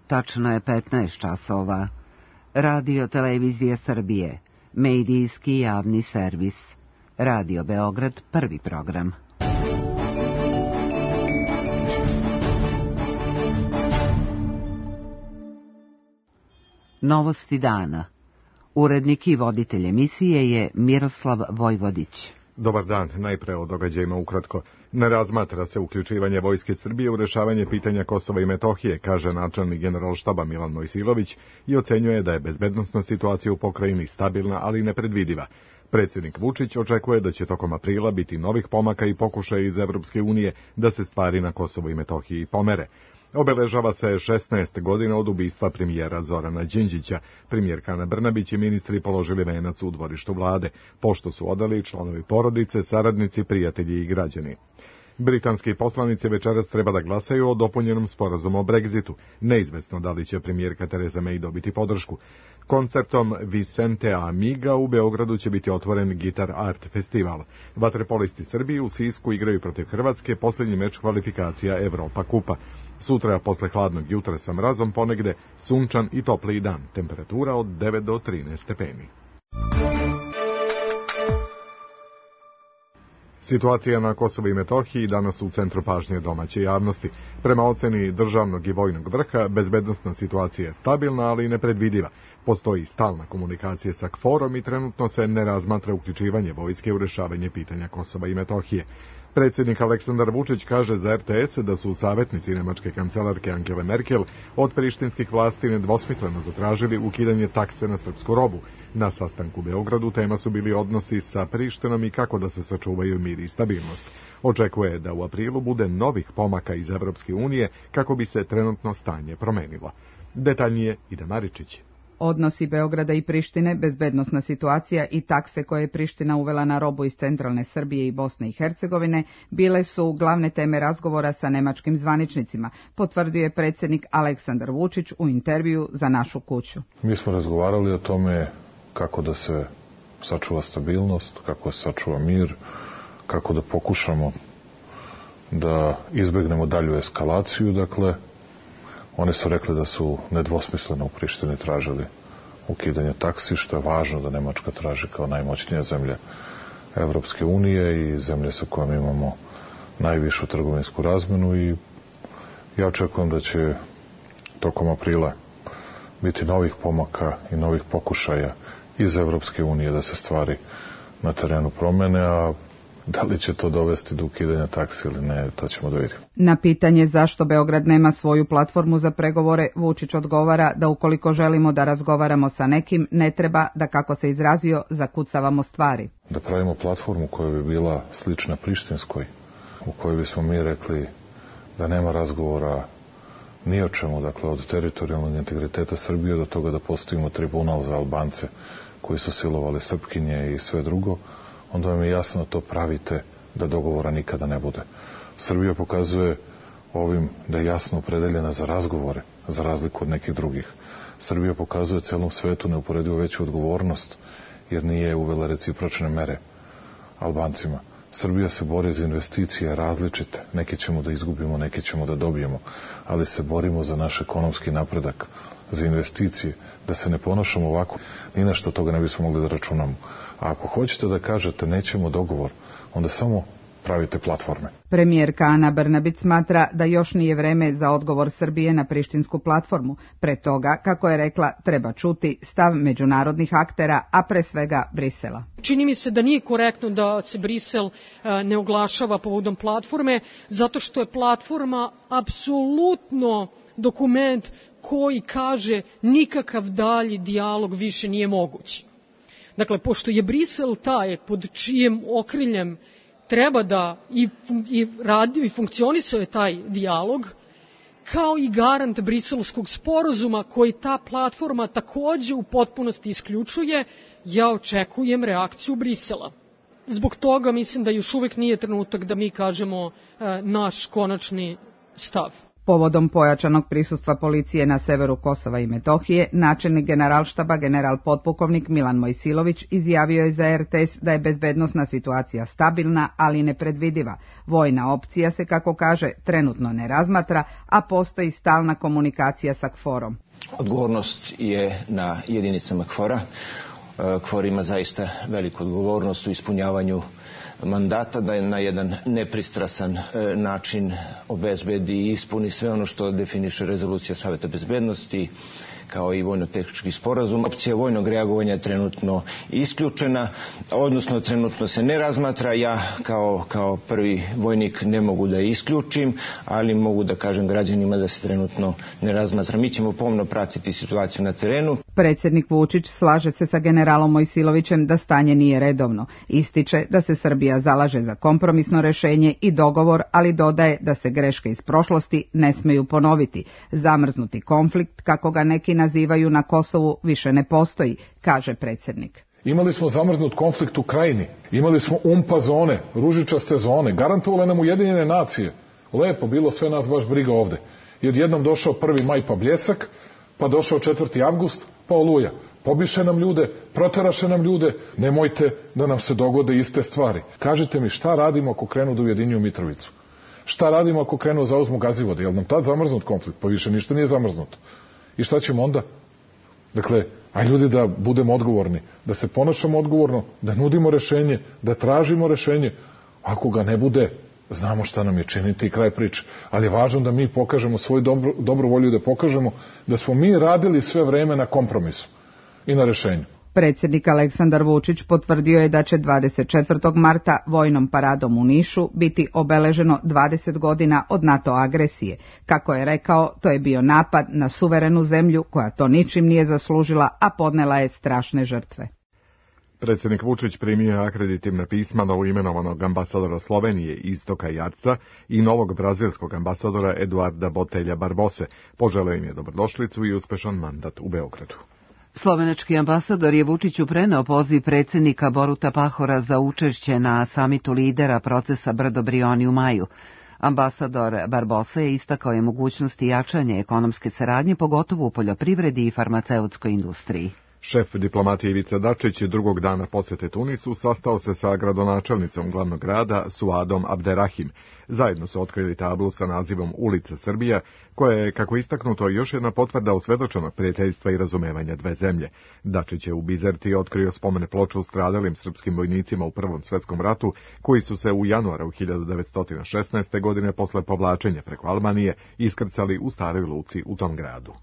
Tačno je 15 časova. Radio Televizija Srbije, medijski javni servis. Radio Beograd, prvi program. Novosti dana. Urednik i voditelj emisije je Miroslav Vojvodić. Dobar dan, najpre o događajima ukratko. Ne razmatra se uključivanje Vojske Srbije u rešavanje pitanja Kosova i Metohije, kaže načelnik Generalštaba Milan Mojsilović i ocenjuje da je bezbednosna situacija u pokrajini stabilna, ali nepredvidiva. Predsjednik Vučić očekuje da će tokom aprila biti novih pomaka i pokušaja iz Evropske unije da se stvari na Kosovu i Metohiji pomere. Obeležava se 16 godina od ubistva premijera Zorana Đinđića. Premijerka Ana Brnabić i ministri položili venac u dvorištu vlade, pošto su odali članovi porodice, saradnici, prijatelji i građani. Britanski poslanici večeras treba da glasaju o dopunjenom sporazumu o Brexitu. Neizvesno da li će premijerka Theresa May dobiti podršku. Koncertom Vicente Amiga u Beogradu će biti otvoren Gitar Art festival. Vaterpolisti Srbije u Sisku igraju protiv Hrvatske posljednji meč kvalifikacija Evropa kupa. Sutra posle hladnog jutra sa mrazom ponegde sunčan i topli dan. Temperatura od 9 do 13 stepeni. Situacija na Kosovu i Metohiji danas u centru pažnje domaće javnosti. Prema oceni državnog i vojnog vrha, bezbednosna situacija je stabilna, ali i nepredvidiva. Postoji stalna komunikacija sa KFOR-om i trenutno se ne razmatra uključivanje vojske u rešavanje pitanja Kosova i Metohije. Predsjednik Aleksandar Vučić kaže za RTS da su savjetnici nemačke kancelarke Angele Merkel od prištinskih vlasti nedvosmisleno zatražili ukidanje takse na srpsku robu. Na sastanku u Beogradu tema su bili odnosi sa Prištinom i kako da se sačuvaju mir i stabilnost. Očekuje da u aprilu bude novih pomaka iz Evropske unije kako bi se trenutno stanje promenilo. Detaljnije Ida Maričić. Odnosi Beograda i Prištine, bezbednosna situacija i takse koje je Priština uvela na robu iz centralne Srbije i Bosne i Hercegovine bile su glavne teme razgovora sa nemačkim zvaničnicima, potvrdio je predsjednik Aleksandar Vučić u intervju za Našu kuću. Mi smo razgovarali o tome kako da se sačuva stabilnost, kako se sačuva mir, kako da pokušamo da izbegnemo dalju eskalaciju, dakle. Oni su rekli da su nedvosmisleno u Prištini tražili ukidanje taksi, što je važno da Nemačka traži kao najmoćnija zemlja Evropske unije i zemlje sa kojom imamo najvišu trgovinsku razmenu i ja očekujem da će tokom aprila biti novih pomaka i novih pokušaja iz Evropske unije da se stvari na terenu promene, a da li će to dovesti do ukidanja taksi ili ne, to ćemo da vidimo. Na pitanje zašto Beograd nema svoju platformu za pregovore, Vučić odgovara da ukoliko želimo da razgovaramo sa nekim, ne treba da, kako se izrazio, zakucavamo stvari. Da pravimo platformu koja bi bila slična prištinskoj, u kojoj bismo mi rekli da nema razgovora ni o čemu, dakle od teritorijalnog integriteta Srbije do toga da postavimo tribunal za Albance koji su silovali Srpkinje i sve drugo, onda vam je jasno to pravite da dogovora nikada ne bude. Srbija pokazuje ovim da je jasno opredeljena za razgovore, za razliku od nekih drugih. Srbija pokazuje celom svetu neuporedivo veću odgovornost, jer nije uvela recipročne mere Albancima. Srbija se bori za investicije različite, neke ćemo da izgubimo, neke ćemo da dobijemo, ali se borimo za naš ekonomski napredak, za investicije, da se ne ponašamo ovako, ni na što toga ne bismo mogli da računamo. A ako hoćete da kažete nećemo dogovor, onda samo pravite platforme. Premijerka Ana Brnabić smatra da još nije vreme za odgovor Srbije na prištinsku platformu. Pre toga, kako je rekla, treba čuti stav međunarodnih aktera, a pre svega Brisela. Čini mi se da nije korektno da se Brisel ne oglašava povodom platforme, zato što je platforma apsolutno dokument koji kaže nikakav dalji dijalog više nije moguć. Dakle, pošto je Brisel taj pod čijem okriljem treba da i radio i funkcionisao je taj dijalog, kao i garant Briselskog sporazuma koji ta platforma takođe u potpunosti isključuje, ja očekujem reakciju Brisela. Zbog toga mislim da još uvek nije trenutak da mi kažemo naš konačni stav. Povodom pojačanog prisustva policije na severu Kosova i Metohije, načelnik Generalštaba general potpukovnik Milan Mojsilović izjavio je za RTS da je bezbednosna situacija stabilna, ali nepredvidiva. Vojna opcija se, kako kaže, trenutno ne razmatra, a postoji stalna komunikacija sa KFOR-om. Odgovornost je na jedinicama KFOR-a. KFOR ima zaista veliku odgovornost u ispunjavanju mandata, da je na jedan nepristrasan način obezbedi i ispuni sve ono što definiše rezolucija Saveta bezbednosti, kao i vojno-tehnički sporazum. Opcija vojnog reagovanja je trenutno isključena, odnosno trenutno se ne razmatra. Ja kao prvi vojnik ne mogu da je isključim, ali mogu da kažem građanima da se trenutno ne razmatra. Mi ćemo pomno pratiti situaciju na terenu. Predsjednik Vučić slaže se sa generalom Mojsilovićem da stanje nije redovno. Ističe da se Srbija zalaže za kompromisno rešenje i dogovor, ali dodaje da se greške iz prošlosti ne smeju ponoviti. Zamrznuti konflikt, kako ga neki nazivaju na Kosovu, više ne postoji, kaže predsjednik. Imali smo zamrznut konflikt u Krajini, imali smo umpa zone, ružičaste zone, garantovale nam Ujedinjene nacije. Lepo bilo, sve nas baš briga ovde. I odjednom došao 1. maj pa bljesak, pa došao 4. avgust, pa oluja. Pobiše nam ljude, proteraše nam ljude, nemojte da nam se dogode iste stvari. Kažite mi, šta radimo ako krenu da ujedinjuju Mitrovicu? Šta radimo ako krenu da zauzmu Gazivode? Je li nam tad zamrznut konflikt? Pa više ništa nije zamrznuto. I šta ćemo onda? Dakle, aj ljudi da budemo odgovorni, da se ponašamo odgovorno, da nudimo rešenje, da tražimo rešenje. Ako ga ne bude, znamo šta nam je činiti i kraj priče. Ali je važno da mi pokažemo svoju dobru volju, da pokažemo da smo mi radili sve vreme na kompromisu i na rešenju. Predsjednik Aleksandar Vučić potvrdio je da će 24. marta vojnom paradom u Nišu biti obeleženo 20 godina od NATO agresije. Kako je rekao, to je bio napad na suverenu zemlju koja to ničim nije zaslužila, a podnela je strašne žrtve. Predsjednik Vučić primio je akreditivna pisma novoimenovanog ambasadora Slovenije Istoka Jarca i novog brazilskog ambasadora Eduarda Botelja Barbose. Poželeo im je dobrodošlicu i uspešan mandat u Beogradu. Slovenački ambasador je Vučiću preneo poziv predsjednika Boruta Pahora za učešće na samitu lidera procesa Brdo Brioni u maju. Ambasador Barbosa je istakao je mogućnosti jačanja ekonomske saradnje, pogotovo u poljoprivredi i farmaceutskoj industriji. Šef diplomatije Ivica Dačić drugog dana posete Tunisu sastao se sa gradonačelnicom glavnog grada Suadom Abderrahim. Zajedno su otkrili tablu sa nazivom Ulica Srbija, koja je, kako istaknuto, još jedna potvrda osvedočenog prijateljstva i razumevanja dve zemlje. Dačić je u Bizerti otkrio spomene ploču stradalim srpskim vojnicima u Prvom svjetskom ratu, koji su se u januaru 1916. godine posle povlačenja preko Albanije iskrcali u staroj luci u tom gradu.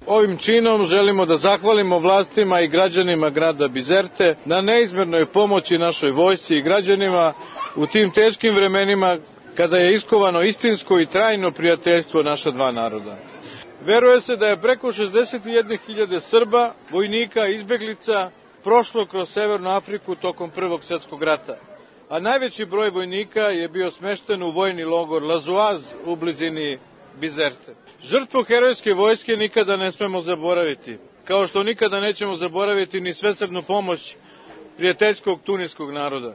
Ovim činom želimo da zahvalimo vlastima i građanima grada Bizerte na neizmjernoj pomoći našoj vojsci i građanima u tim teškim vremenima kada je iskovano istinsko i trajno prijateljstvo naša dva naroda. Veruje se da je preko 61.000 Srba, vojnika i izbeglica prošlo kroz Severnu Afriku tokom Prvog svjetskog rata, a najveći broj vojnika je bio smešten u vojni logor Lazuaz u blizini Bizerte. Žrtvu herojske vojske nikada ne smemo zaboraviti, kao što nikada nećemo zaboraviti ni svesrdnu pomoć prijateljskog tuniskog naroda.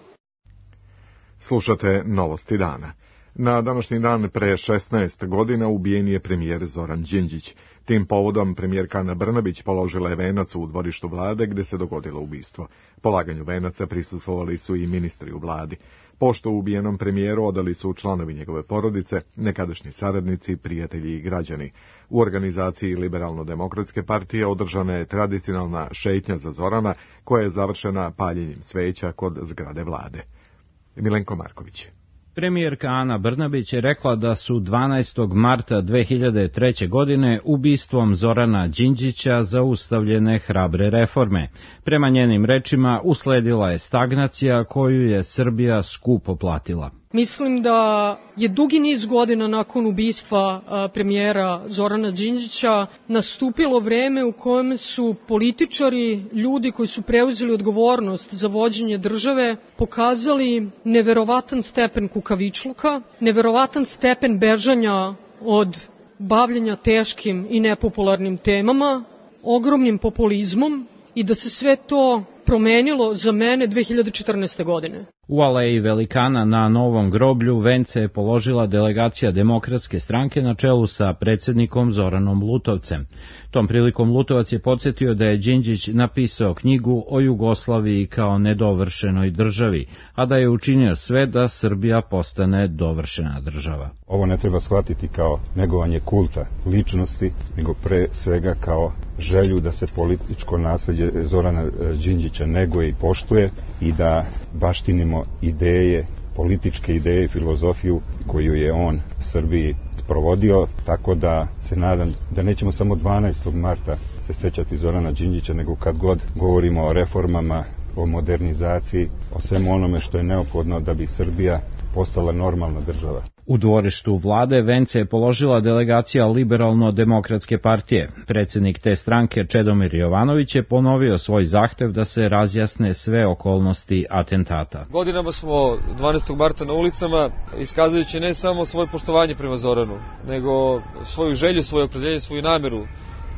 Slušate novosti dana. Na današnji dan pre 16 godina ubijen je premijer Zoran Đinđić. Tim povodom premijerka Ana Brnabić položila je venac u dvorištu vlade gde se dogodilo ubistvo. Polaganju venaca prisustvovali su i ministri u vladi. Pošto ubijenom premijeru odali su članovi njegove porodice, nekadašnji saradnici, prijatelji i građani. U organizaciji Liberalno-demokratske partije održana je tradicionalna šetnja za Zorana, koja je završena paljenjem sveća kod zgrade vlade. Milenko Marković. Premijerka Ana Brnabić je rekla da su 12. marta 2003. godine ubistvom Zorana Đinđića zaustavljene hrabre reforme. Prema njenim rečima usledila je stagnacija koju je Srbija skupo platila. Mislim da je dugi niz godina nakon ubistva premijera Zorana Đinđića nastupilo vreme u kojem su političari, ljudi koji su preuzeli odgovornost za vođenje države, pokazali neverovatan stepen kukavičluka, neverovatan stepen bežanja od bavljenja teškim i nepopularnim temama, ogromnim populizmom i da se sve to promenilo za mene 2014. godine. U aleji velikana na Novom groblju vence je položila delegacija Demokratske stranke na čelu sa predsjednikom Zoranom Lutovcem. Tom prilikom Lutovac je podsjetio da je Đinđić napisao knjigu o Jugoslaviji kao nedovršenoj državi, a da je učinio sve da Srbija postane dovršena država. Ovo ne treba shvatiti kao negovanje kulta ličnosti, nego pre svega kao želju da se političko nasleđe Zorana Đinđića neguje i poštuje i da baštinimo ideje, političke ideje i filozofiju koju je on Srbiji provodio, tako da se nadam da nećemo samo 12. marta se sećati Zorana Đinđića, nego kad god govorimo o reformama, o modernizaciji, o svemu onome što je neophodno da bi Srbija postala normalna država. U dvorištu vlade vence je položila delegacija Liberalno-demokratske partije. Predsjednik te stranke Čedomir Jovanović je ponovio svoj zahtev da se razjasne sve okolnosti atentata. Godinama smo 12. marta na ulicama, iskazujući ne samo svoje poštovanje prema Zoranu, nego svoju želju, svoje opredeljenje, svoju nameru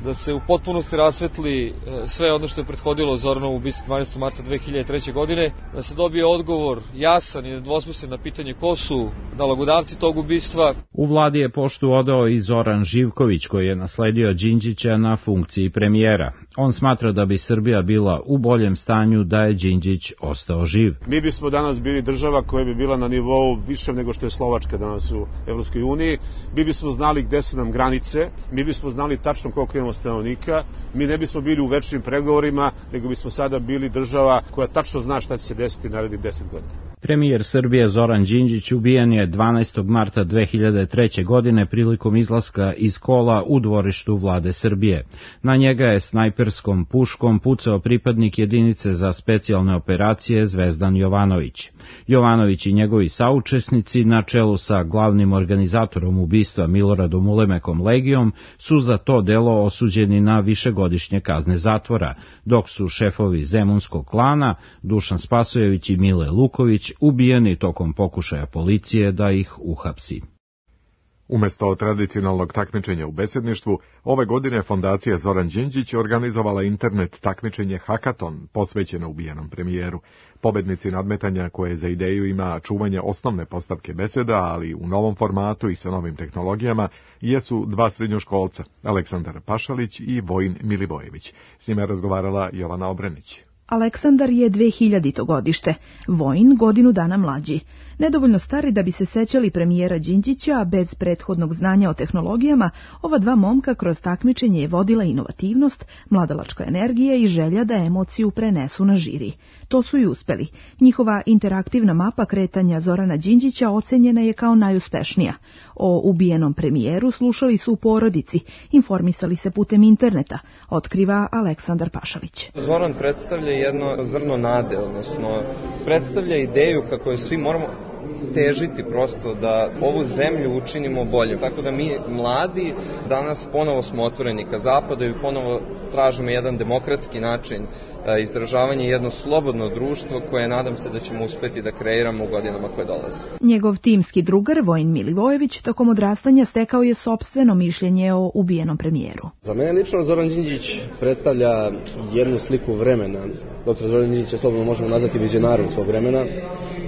da se u potpunosti rasvetli sve ono što je prethodilo Zoranovu ubistvu 12. marta 2003. godine, da se dobije odgovor jasan i nedvosmislen na pitanje ko su nalogodavci tog ubistva. U vladi je poštu odao i Zoran Živković, koji je nasledio Đinđića na funkciji premijera. On smatra da bi Srbija bila u boljem stanju da je Đinđić ostao živ. Mi bismo danas bili država koja bi bila na nivou više nego što je Slovačka danas u Evropskoj uniji. Mi bismo znali gde su nam granice, mi bismo znali tačno koliko imamo stanovnika, mi ne bismo bili u večnim pregovorima, nego bismo sada bili država koja tačno zna šta će se desiti narednih 10 godina. Premijer Srbije Zoran Đinđić ubijen je 12. marta 2003. godine prilikom izlaska iz kola u dvorištu vlade Srbije. Na njega je snajperskom puškom pucao pripadnik jedinice za specijalne operacije Zvezdan Jovanović. Jovanović i njegovi saučesnici na čelu sa glavnim organizatorom ubistva Miloradom Ulemekom Legijom su za to delo osuđeni na višegodišnje kazne zatvora, dok su šefovi Zemunskog klana Dušan Spasojević i Mile Luković ubijeni tokom pokušaja policije da ih uhapsi. Umesto tradicionalnog takmičenja u besedništvu, ove godine Fondacija Zoran Đinđić organizovala internet takmičenje Hakaton posvećeno ubijenom premijeru. Pobednici nadmetanja koje za ideju ima čuvanje osnovne postavke beseda, ali u novom formatu i sa novim tehnologijama, jesu dva srednjoškolca, Aleksandar Pašalić i Vojin Milivojević. S njima je razgovarala Jovana Obrenić. Aleksandar je 2000. godište, Vojin godinu dana mlađi. Nedovoljno stari da bi se sećali premijera Đinđića, a bez prethodnog znanja o tehnologijama, ova dva momka kroz takmičenje je vodila inovativnost, mladalačka energija i želja da emociju prenesu na žiri. To su i uspeli. Njihova interaktivna mapa kretanja Zorana Đinđića ocenjena je kao najuspešnija. O ubijenom premijeru slušali su u porodici, informisali se putem interneta, otkriva Aleksandar Pašalić. Zoran predstavlja jedno zrno nade, odnosno predstavlja ideju kako je svi moramo težiti prosto da ovu zemlju učinimo boljom. Tako da mi mladi danas ponovo smo otvoreni ka zapadu i ponovo tražimo jedan demokratski način izražavanja, jedno slobodno društvo koje nadam se da ćemo uspeti da kreiramo u godinama koje dolaze. Njegov timski drugar Vojin Milivojević tokom odrastanja stekao je sopstveno mišljenje o ubijenom premijeru. Za mene lično Zoran Đinđić predstavlja jednu sliku vremena. Doktor Zoran Đinđić je slobodno možemo nazvati vizionarom svog vremena,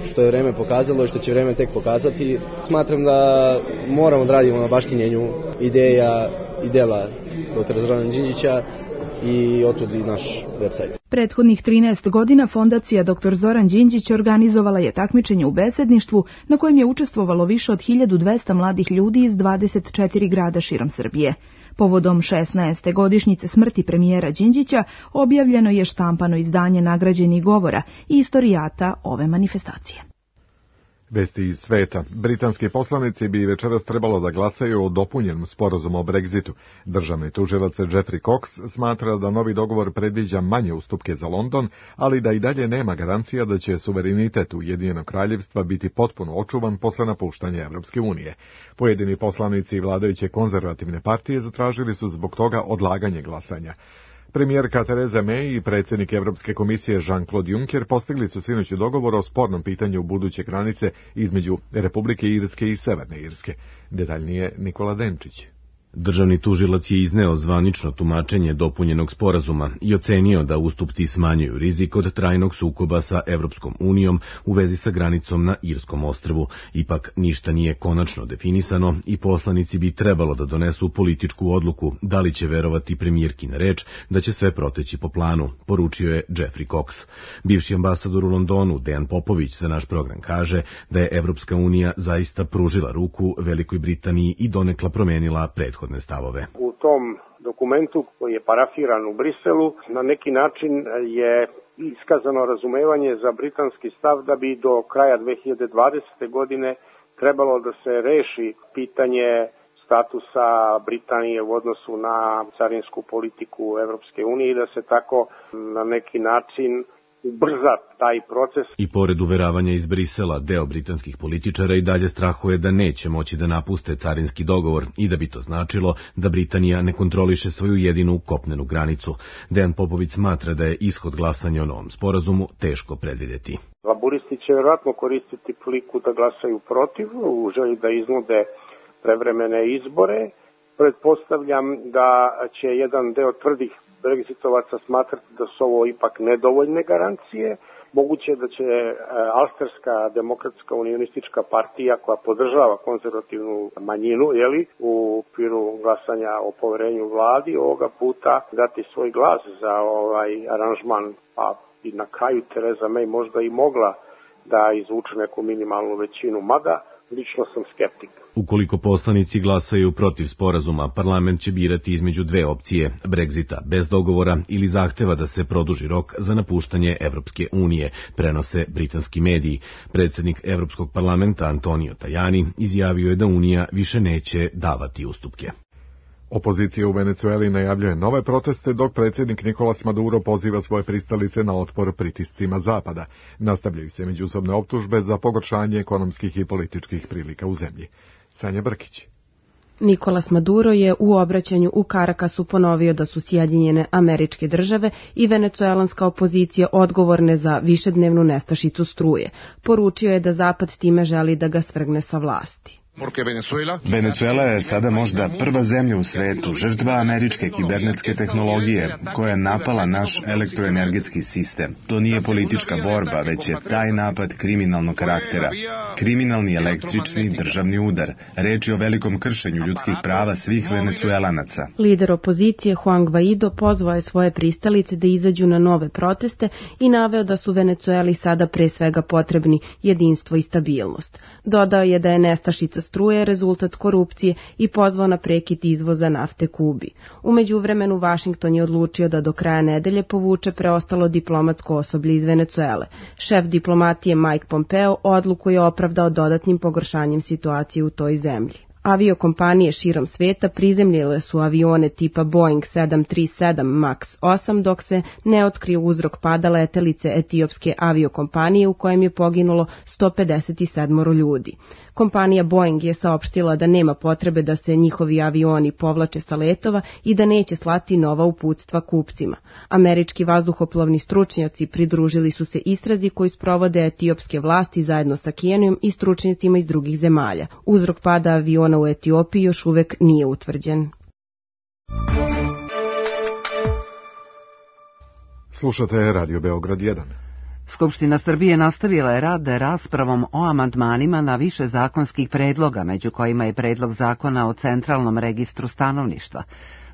što je vreme pokazalo i što će vreme tek pokazati. Smatram da moramo da radimo na baštinjenju ideja i dela doktora Zorana Đinđića i otud i naš website. Prethodnih 13 godina Fondacija dr. Zoran Đinđić organizovala je takmičenje u besedništvu na kojem je učestvovalo više od 1200 mladih ljudi iz 24 grada širom Srbije. Povodom 16. godišnjice smrti premijera Đinđića objavljeno je štampano izdanje nagrađenih govora i istorijata ove manifestacije. Vesti iz sveta. Britanski poslanici bi večeras trebalo da glasaju o dopunjenom sporazumu o Brexitu. Državni tužilac Jeffrey Cox smatra da novi dogovor predviđa manje ustupke za London, ali da i dalje nema garancija da će suverenitet Ujedinjenog kraljevstva biti potpuno očuvan posle napuštanja Evropske unije. Pojedini poslanici vladajuće konzervativne partije zatražili su zbog toga odlaganje glasanja. Premijerka Theresa May i predsjednik Evropske komisije Jean-Claude Juncker postigli su sinoć dogovor o spornom pitanju buduće granice između Republike Irske i Severne Irske. Detaljnije Nikola Denčić. Državni tužilac je izneo zvanično tumačenje dopunjenog sporazuma i ocenio da ustupci smanjuju rizik od trajnog sukoba sa Evropskom unijom u vezi sa granicom na Irskom ostrvu. Ipak ništa nije konačno definisano i poslanici bi trebalo da donesu političku odluku da li će verovati premijerki na reč da će sve proteći po planu, poručio je Jeffrey Cox. Bivši ambasador u Londonu, Dejan Popović, za naš program kaže da je Evropska unija zaista pružila ruku Velikoj Britaniji i donekla promenila prethodne stavove. U tom dokumentu koji je parafiran u Briselu na neki način je iskazano razumevanje za britanski stav da bi do kraja 2020. godine trebalo da se reši pitanje statusa Britanije u odnosu na carinsku politiku Evropske unije i da se tako na neki način ubrza taj proces. I pored uveravanja iz Brisela, deo britanskih političara i dalje strahuje da neće moći da napuste carinski dogovor i da bi to značilo da Britanija ne kontroliše svoju jedinu kopnenu granicu. Dejan Popović smatra da je ishod glasanja o novom sporazumu teško predvidjeti. Laburisti će vjerojatno koristiti priliku da glasaju protiv, u želji da iznude prevremene izbore. Pretpostavljam da će jedan deo tvrdih Brexitovaca smatrati da su ovo ipak nedovoljne garancije. Moguće da će Alsterska demokratska unionistička partija koja podržava konzervativnu manjinu u okviru glasanja o poverenju vladi ovoga puta dati svoj glas za ovaj aranžman, pa i na kraju Theresa May možda i mogla da izvuče neku minimalnu većinu, mada lično sam skeptik. Ukoliko poslanici glasaju protiv sporazuma, parlament će birati između dve opcije, Brexita bez dogovora ili zahteva da se produži rok za napuštanje Evropske unije, prenose britanski mediji. Predsjednik Evropskog parlamenta Antonio Tajani izjavio je da Unija više neće davati ustupke. Opozicija u Venecueli najavljuje nove proteste, dok predsjednik Nicolas Maduro poziva svoje pristalice na otpor pritiscima Zapada. Nastavljaju se međusobne optužbe za pogoršanje ekonomskih i političkih prilika u zemlji. Sanja Brkić. Nicolas Maduro je u obraćanju u Caracasu ponovio da su Sjedinjene Američke Države i venecuelanska opozicija odgovorne za višednevnu nestašicu struje. Poručio je da Zapad time želi da ga svrgne sa vlasti. Venecuela je sada možda prva zemlja u svetu žrtva američke kibernetske tehnologije koja je napala naš elektroenergetski sistem. To nije politička borba, već je taj napad kriminalnog karaktera. Kriminalni električni državni udar. Reč je o velikom kršenju ljudskih prava svih Venecuelanaca. Lider opozicije Juan Guaido pozvao je svoje pristalice da izađu na nove proteste i naveo da su Venecueli sada pre svega potrebni jedinstvo i stabilnost. Dodao je da je nestašica struje rezultat korupcije i pozvao na prekid izvoza nafte Kubi. U međuvremenu Vašington je odlučio da do kraja nedelje povuče preostalo diplomatsko osoblje iz Venecuele. Šef diplomatije Mike Pompeo odluku je opravdao dodatnim pogoršanjem situacije u toj zemlji. Aviokompanije širom sveta prizemljile su avione tipa Boeing 737 MAX 8 dok se ne otkrio uzrok pada letelice etiopske aviokompanije u kojem je poginulo 157 ljudi. Kompanija Boeing je saopštila da nema potrebe da se njihovi avioni povlače sa letova i da neće slati nova uputstva kupcima. Američki vazduhoplovni stručnjaci pridružili su se istrazi koju sprovode etiopske vlasti zajedno sa Kenijom i stručnjacima iz drugih zemalja. Uzrok pada aviona u Etiopiji još uvek nije utvrđen. Slušate Radio Beograd 1. Skupština Srbije nastavila je rad raspravom o amandmanima na više zakonskih predloga, među kojima je predlog zakona o centralnom registru stanovništva.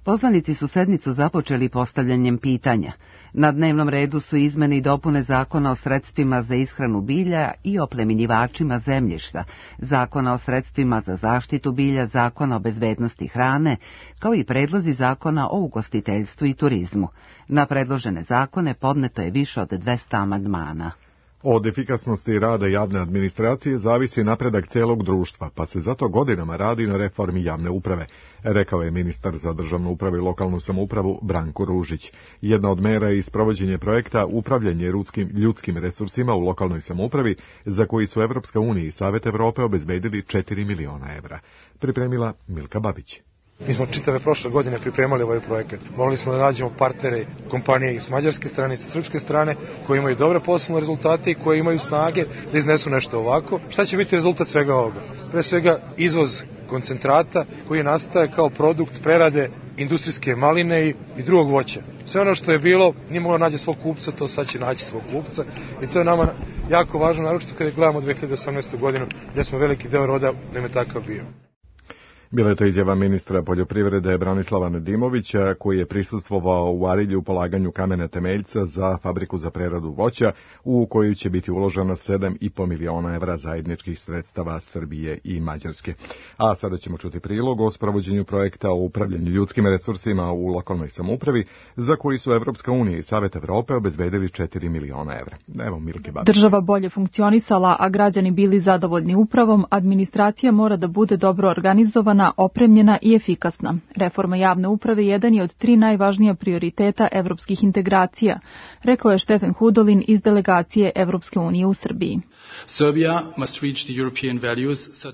Poslanici su sednicu započeli postavljanjem pitanja. Na dnevnom redu su izmene i dopune zakona o sredstvima za ishranu bilja i oplemenjivačima zemljišta, zakona o sredstvima za zaštitu bilja, zakona o bezbednosti hrane, kao i predlozi zakona o ugostiteljstvu i turizmu. Na predložene zakone podneto je više od 200 amandmana. Od efikasnosti rada javne administracije zavisi napredak celog društva, pa se zato godinama radi na reformi javne uprave, rekao je ministar za državnu upravu i lokalnu samoupravu Branko Ružić. Jedna od mera je isprovođenje projekta Upravljanje ljudskim resursima u lokalnoj samoupravi, za koji su Evropska unija i Savet Evrope obezbedili 4 miliona evra. Pripremila Milka Babić. Mi smo čitave prošle godine pripremali ovaj projekat. Morali smo da nađemo partnere, kompanije i s mađarske strane i sa srpske strane, koji imaju dobre poslovne rezultate i koji imaju snage da iznesu nešto ovako. Šta će biti rezultat svega ovoga? Pre svega izvoz koncentrata koji nastaje kao produkt prerade industrijske maline i drugog voća. Sve ono što je bilo nije moglo naći svog kupca, to sad će naći svog kupca i to je nama jako važno, naročito kada gledamo 2018. godinu gdje smo veliki deo roda da je takav bio. Bila je to izjava ministra poljoprivrede Branislava Nedimovića, koji je prisustvovao u Arilju polaganju kamena temeljca za fabriku za preradu voća, u koju će biti uloženo 7,5 miliona evra zajedničkih sredstava Srbije i Mađarske. A sada ćemo čuti prilog o sprovođenju projekta o upravljanju ljudskim resursima u lokalnoj samoupravi, za koji su Evropska unija i Savet Evrope obezbedili 4 miliona evra. Evo Milke Babić. Država bolje funkcionisala, a građani bili zadovoljni upravom, administracija mora da bude dobro organizovana, opremljena i efikasna. Reforma javne uprave jedan je od 3 najvažnija prioriteta evropskih integracija, rekao je Štefan Hudolin iz delegacije Evropske unije u Srbiji.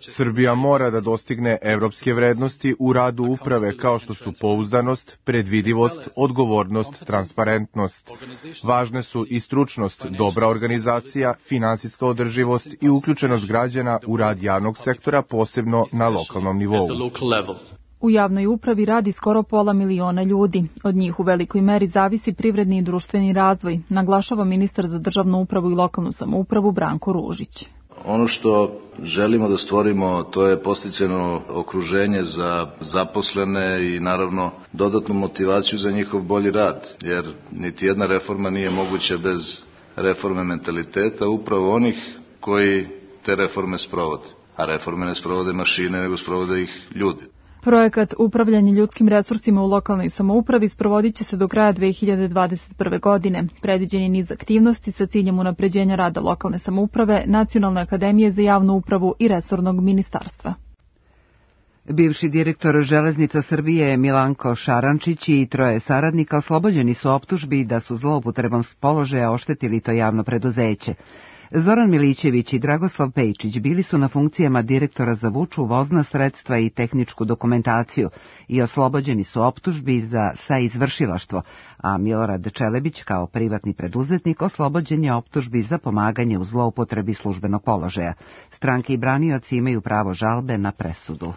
Srbija mora da dostigne evropske vrednosti u radu uprave kao što su pouzdanost, predvidivost, odgovornost, transparentnost. Važne su i stručnost, dobra organizacija, finansijska održivost i uključenost građana u rad javnog sektora, posebno na lokalnom nivou. U javnoj upravi radi skoro 500.000 ljudi. Od njih u velikoj meri zavisi privredni i društveni razvoj, naglašava ministar za državnu upravu i lokalnu samoupravu Branko Ružić. Ono što želimo da stvorimo, to je podsticajno okruženje za zaposlene i naravno dodatnu motivaciju za njihov bolji rad, jer niti jedna reforma nije moguća bez reforme mentaliteta upravo onih koji te reforme sprovode. A reforme ne sprovode mašine, nego sprovode ih ljudi. Projekat upravljanja ljudskim resursima u lokalnoj samoupravi sprovodit će se do kraja 2021. godine. Predviđen je niz aktivnosti sa ciljem unapređenja rada lokalne samouprave, Nacionalne akademije za javnu upravu i resornog ministarstva. Bivši direktor Železnica Srbije Milanko Šarančić i 3 saradnika oslobođeni su optužbi da su zloupotrebom položaja oštetili to javno preduzeće. Zoran Milićević i Dragoslav Pejčić bili su na funkcijama direktora za vuču, vozna sredstva i tehničku dokumentaciju i oslobođeni su optužbi za saizvršilaštvo, a Milorad Čelebić kao privatni preduzetnik oslobođen je optužbi za pomaganje u zloupotrebi službenog položaja. Stranke i branioci imaju pravo žalbe na presudu.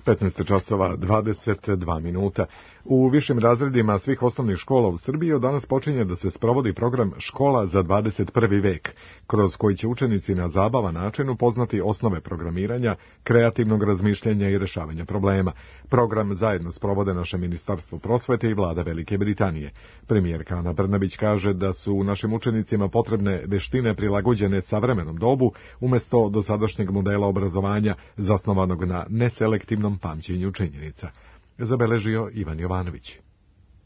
15 časova 22 minuta. U višim razredima svih osnovnih škola u Srbiji od danas počinje da se sprovodi program Škola za 21. vek, kroz koji će učenici na zabavan način upoznati osnove programiranja, kreativnog razmišljanja i rešavanja problema. Program zajedno sprovode naše Ministarstvo prosvete i Vlada Velike Britanije. Premijerka Ana Brnabić kaže da su našim učenicima potrebne veštine prilagođene savremenom dobu, umesto dosadašnjeg modela obrazovanja zasnovanog na neselektivnom pamćenju činjenica. Zabeležio Ivan Jovanović.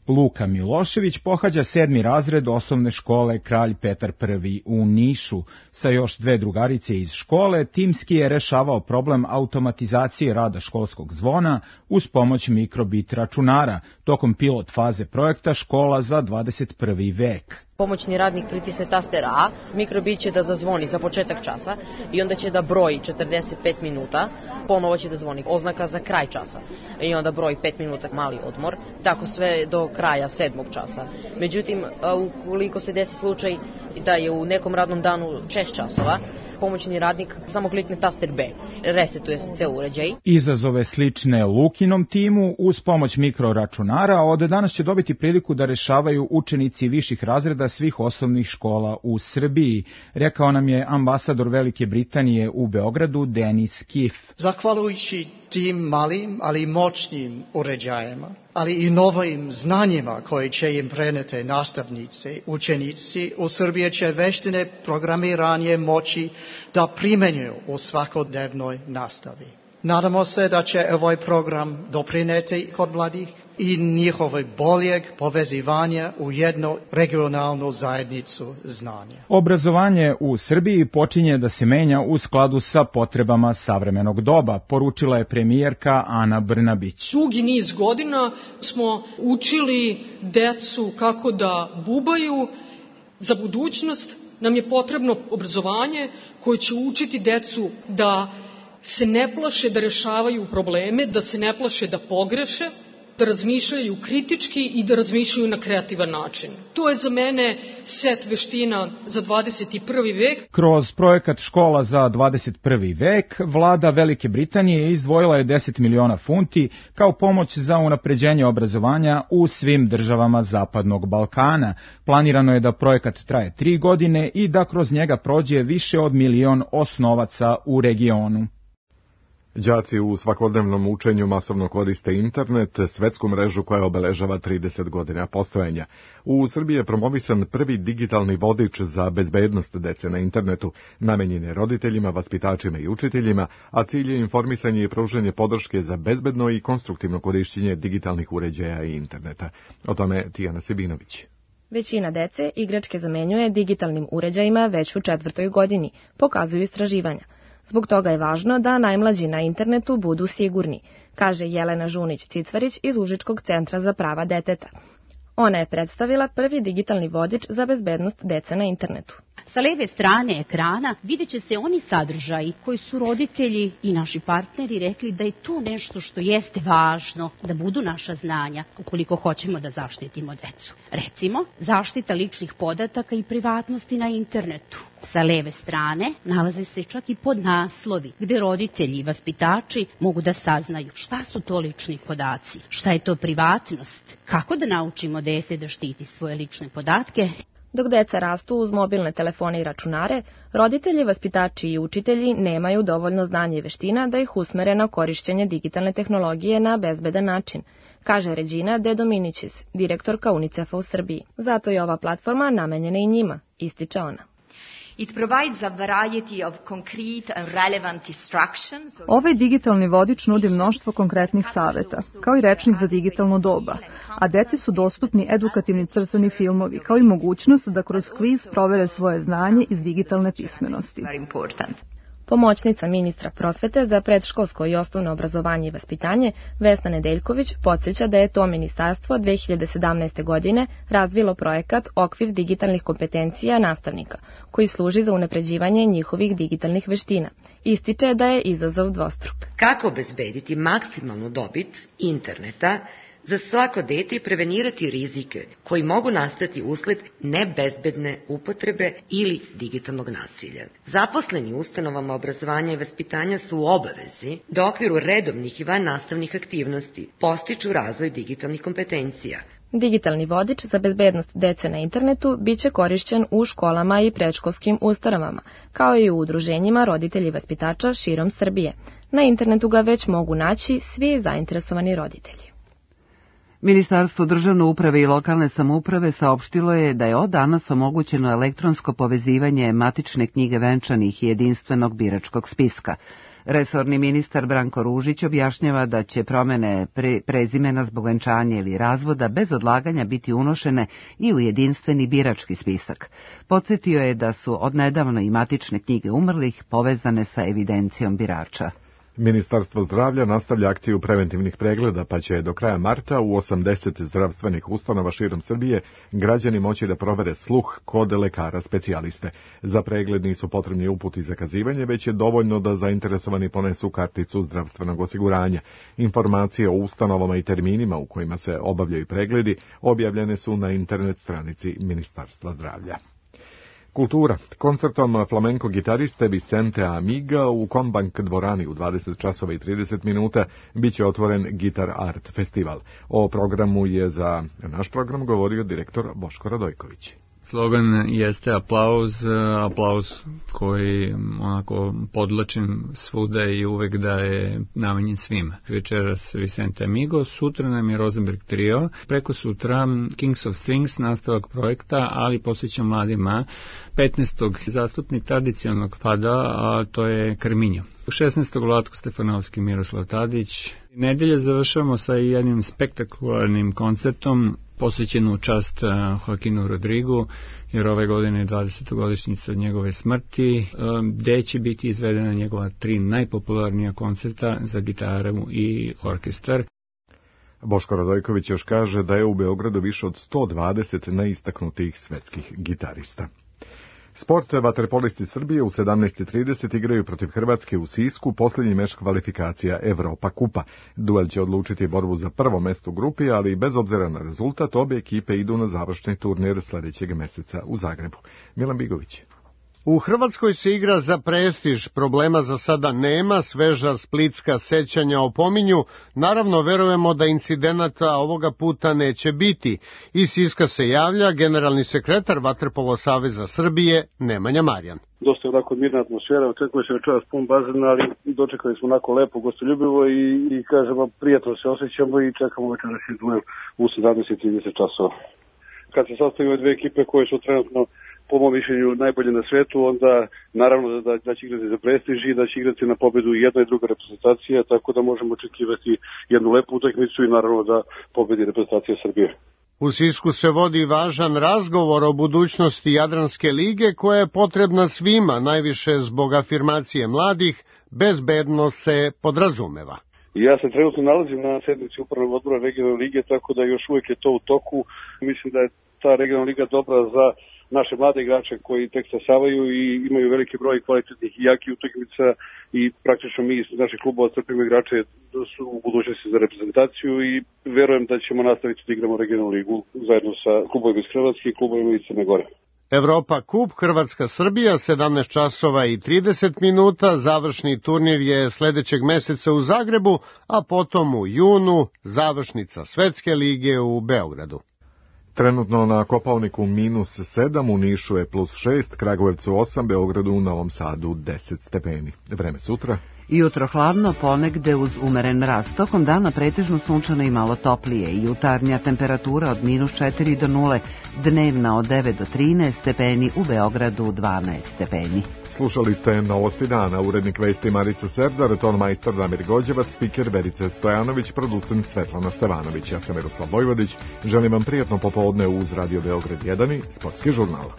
Luka Milošević pohađa 7. razred osnovne škole Kralj Petar I u Nišu. Sa još 2 drugarice iz škole, timski je rešavao problem automatizacije rada školskog zvona uz pomoć mikrobit računara, tokom pilot faze projekta Škola za 21. vek. Pomoćni radnik pritisne taster A, mikrobit će da zazvoni za početak časa i onda će da broji 45 minuta, ponovo će da zvoni oznaka za kraj časa i onda broji 5 minuta mali odmor, tako sve do kraja 7. časa. Međutim, ukoliko se desi slučaj da je u nekom radnom danu 6 časova, pomoćni radnik samo klikne taster B, resetuje se ceo uređaj. Izazove slične Lukinom timu uz pomoć mikroračunara od danas će dobiti priliku da rešavaju učenici viših razreda svih osnovnih škola u Srbiji, rekao nam je ambasador Velike Britanije u Beogradu Denis Kif. Zahvaljujući tim malim, ali moćnim uređajima, ali i novim znanjima koje će im preneti nastavnici, učenici, u Srbiji će veštine programiranje moći da primenjuju u svakodnevnoj nastavi. Nadamo se da će ovaj program doprineti kod mladih i njihove boljeg povezivanja u jednu regionalnu zajednicu znanja. Obrazovanje u Srbiji počinje da se menja u skladu sa potrebama savremenog doba, poručila je premijerka Ana Brnabić. Dugi niz godina smo učili decu kako da bubaju. Za budućnost nam je potrebno obrazovanje koje će učiti decu da se ne plaše da rešavaju probleme, da se ne plaše da pogreše, da razmišljaju kritički i da razmišljaju na kreativan način. To je za mene set veština za 21. vek. Kroz projekat Škola za 21. vek, vlada Velike Britanije izdvojila je 10 miliona funti kao pomoć za unapređenje obrazovanja u svim državama Zapadnog Balkana. Planirano je da projekat traje 3 godine i da kroz njega prođe više od 1 milion osnovaca u regionu. Đaci u svakodnevnom učenju masovno koriste internet, svetsku mrežu koja obeležava 30 godina postojanja. U Srbiji je promovisan prvi digitalni vodič za bezbednost dece na internetu, namenjen je roditeljima, vaspitačima i učiteljima, a cilj je informisanje i pružanje podrške za bezbedno i konstruktivno korišćenje digitalnih uređaja i interneta. O tome Tijana Sebinović. Većina dece igračke zamenjuje digitalnim uređajima već u 4. godini, pokazuju istraživanja. Zbog toga je važno da najmlađi na internetu budu sigurni, kaže Jelena Žunić-Cicvarić iz Užičkog centra za prava deteta. Ona je predstavila prvi digitalni vodič za bezbednost dece na internetu. Sa leve strane ekrana vidjet će se oni sadržaji koji su roditelji i naši partneri rekli da je to nešto što jeste važno, da budu naša znanja ukoliko hoćemo da zaštitimo decu. Recimo, zaštita ličnih podataka i privatnosti na internetu. Sa leve strane nalaze se čak i podnaslovi gde roditelji i vaspitači mogu da saznaju šta su to lični podaci, šta je to privatnost, kako da naučimo dete da štiti svoje lične podatke. Dok deca rastu uz mobilne telefone i računare, roditelji, vaspitači i učitelji nemaju dovoljno znanja i veština da ih usmere na korišćenje digitalne tehnologije na bezbedan način, kaže Regina De Dominicis, direktorka UNICEF-a u Srbiji. Zato je ova platforma namenjena i njima, ističe ona. Ovaj digitalni vodič nudi mnoštvo konkretnih saveta, kao i rečnik za digitalno doba, a deci su dostupni edukativni crtani filmovi, kao i mogućnost da kroz kviz provere svoje znanje iz digitalne pismenosti. Pomoćnica ministra prosvete za predškolsko i osnovno obrazovanje i vaspitanje, Vesna Nedeljković, podsjeća da je to ministarstvo 2017. godine razvilo projekat Okvir digitalnih kompetencija nastavnika, koji služi za unapređivanje njihovih digitalnih veština. Ističe da je izazov dvostruk. Kako obezbediti maksimalnu dobit interneta za svako dete i prevenirati rizike koji mogu nastati usled nebezbedne upotrebe ili digitalnog nasilja. Zaposleni u ustanovama obrazovanja i vaspitanja su u obavezi da u okviru redovnih i vannastavnih aktivnosti postiču razvoj digitalnih kompetencija. Digitalni vodič za bezbednost dece na internetu biće korišćen u školama i predškolskim ustanovama, kao i u udruženjima roditelji i vaspitača širom Srbije. Na internetu ga već mogu naći svi zainteresovani roditelji. Ministarstvo državne uprave i lokalne samouprave saopštilo je da je od danas omogućeno elektronsko povezivanje matične knjige venčanih i jedinstvenog biračkog spiska. Resorni ministar Branko Ružić objašnjava da će promene prezimena zbog venčanja ili razvoda bez odlaganja biti unošene i u jedinstveni birački spisak. Podsjetio je da su odnedavno i matične knjige umrlih povezane sa evidencijom birača. Ministarstvo zdravlja nastavlja akciju preventivnih pregleda, pa će do kraja marta u 80 zdravstvenih ustanova širom Srbije građani moći da provere sluh kod lekara specijaliste. Za pregled nisu potrebni uputi i zakazivanje, već je dovoljno da zainteresovani ponesu karticu zdravstvenog osiguranja. Informacije o ustanovama i terminima u kojima se obavljaju pregledi objavljene su na internet stranici Ministarstva zdravlja. Kultura. Koncertom flamenko gitariste Vicente Amiga u Kombank dvorani u 20 časova i 30 minuta biće otvoren Gitar Art festival. O programu je za naš program govorio direktor Boško Radojković. Slogan jeste aplauz koji onako podlačim svuda i uvek da je namenjen svima. Večeras Vicente Amigo, sutra nam je Rosenberg Trio, preko sutra Kings of Strings, nastavak projekta, ali posvećan mladima, 15. zastupnik tradicionalnog fada, a to je Karminjo. 16. Vlatko Stefanovski, Miroslav Tadić. Nedelje završamo sa jednim spektakularnim koncertom posvećen u čast Joaquinu Rodrigu, jer ove godine je 20. godišnjica od njegove smrti, gde će biti izvedena njegova 3 najpopularnija koncerta za gitaru i orkestar. Boško Radojković još kaže da je u Beogradu više od 120 najistaknutijih svetskih gitarista. Sport, vaterpolisti Srbije u 17:30 igraju protiv Hrvatske u Sisku, posljednji meč kvalifikacija Evropa kupa. Duel će odlučiti borbu za prvo mesto u grupi, ali bez obzira na rezultat, obje ekipe idu na završni turnir sljedećeg meseca u Zagrebu. Milan Bigović. U Hrvatskoj se igra za prestiž, problema za sada nema, sveža splitska sećanja opominju, naravno verujemo da incidenata ovoga puta neće biti. Iz Siska se javlja generalni sekretar Vaterpolo saveza Srbije Nemanja Marjan. Dosta je onako mirna atmosfera, očekuje se večeras pun bazen, ali dočekali smo onako lepo, gostoljubivo i kažemo prijatno se osjećamo i čekamo večeras duel u 17:30 časova. Kad se sastavimo dve ekipe koje su trenutno po mom mišljenju najbolje na svetu, onda naravno da će igrati za prestiž i da će igrati na pobedu i jedna i druga reprezentacija, tako da možemo očekivati jednu lepu utakmicu i naravno da pobedi reprezentacija Srbije. U Sisku se vodi važan razgovor o budućnosti Jadranske lige koja je potrebna svima, najviše zbog afirmacije mladih, bezbednost se podrazumeva. Ja se trenutno nalazim na sednici upravnog odbora regionalne lige, tako da još uvijek je to u toku. Mislim da je ta regionalna liga dobra za naše mlade igrače koji tek stasavaju i imaju veliki broj kvalitetnih i jakih utakmica i praktično mi iz naših klubova crpimo igrače su u budućnosti za reprezentaciju i verujem da ćemo nastaviti da igramo regionalnu ligu zajedno sa klubovima iz Hrvatske i klubovima iz Crne Gore. Evropa kup Hrvatska-Srbija 17:30, završni turnir je sljedećeg meseca u Zagrebu, a potom u junu završnica Svetske lige u Beogradu. Trenutno na Kopaoniku -7, u Nišu je +6, Kragujevcu 8, Beogradu u Novom Sadu 10 stepeni. Vreme sutra. Jutro hladno, ponegde uz umeren mraz. Tokom dana pretežno sunčano i malo toplije. Jutarnja temperatura od -4 do 0, dnevna od 9 do 13 stepeni, u Beogradu 12 stepeni. Slušali ste Novosti dana, urednik vesti Marica Serdar, tonmajstor Damir Gođevac, spiker Verica Stojanović, producent Svetlana Stevanović. Ja sam Miroslav Vojvodić, želim vam prijatno popodne uz Radio Beograd 1 i Sportski žurnal.